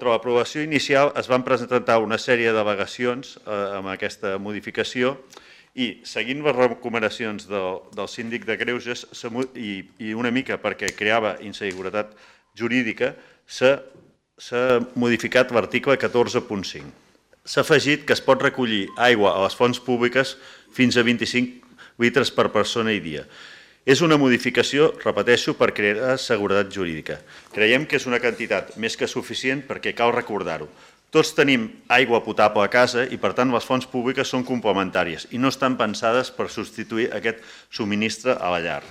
contra l'aprovació inicial es van presentar una sèrie d'al·legacions amb aquesta modificació i, seguint les recomanacions del síndic de Greuges i una mica perquè creava inseguretat jurídica, s'ha modificat l'article 14.5. S'ha afegit que es pot recollir aigua a les fonts públiques fins a 25 litres per persona i dia. És una modificació, repeteixo, per crear seguretat jurídica. Creiem que és una quantitat més que suficient perquè cal recordar-ho. Tots tenim aigua potable a casa i, per tant, les fonts públiques són complementàries i no estan pensades per substituir aquest subministre a la llar.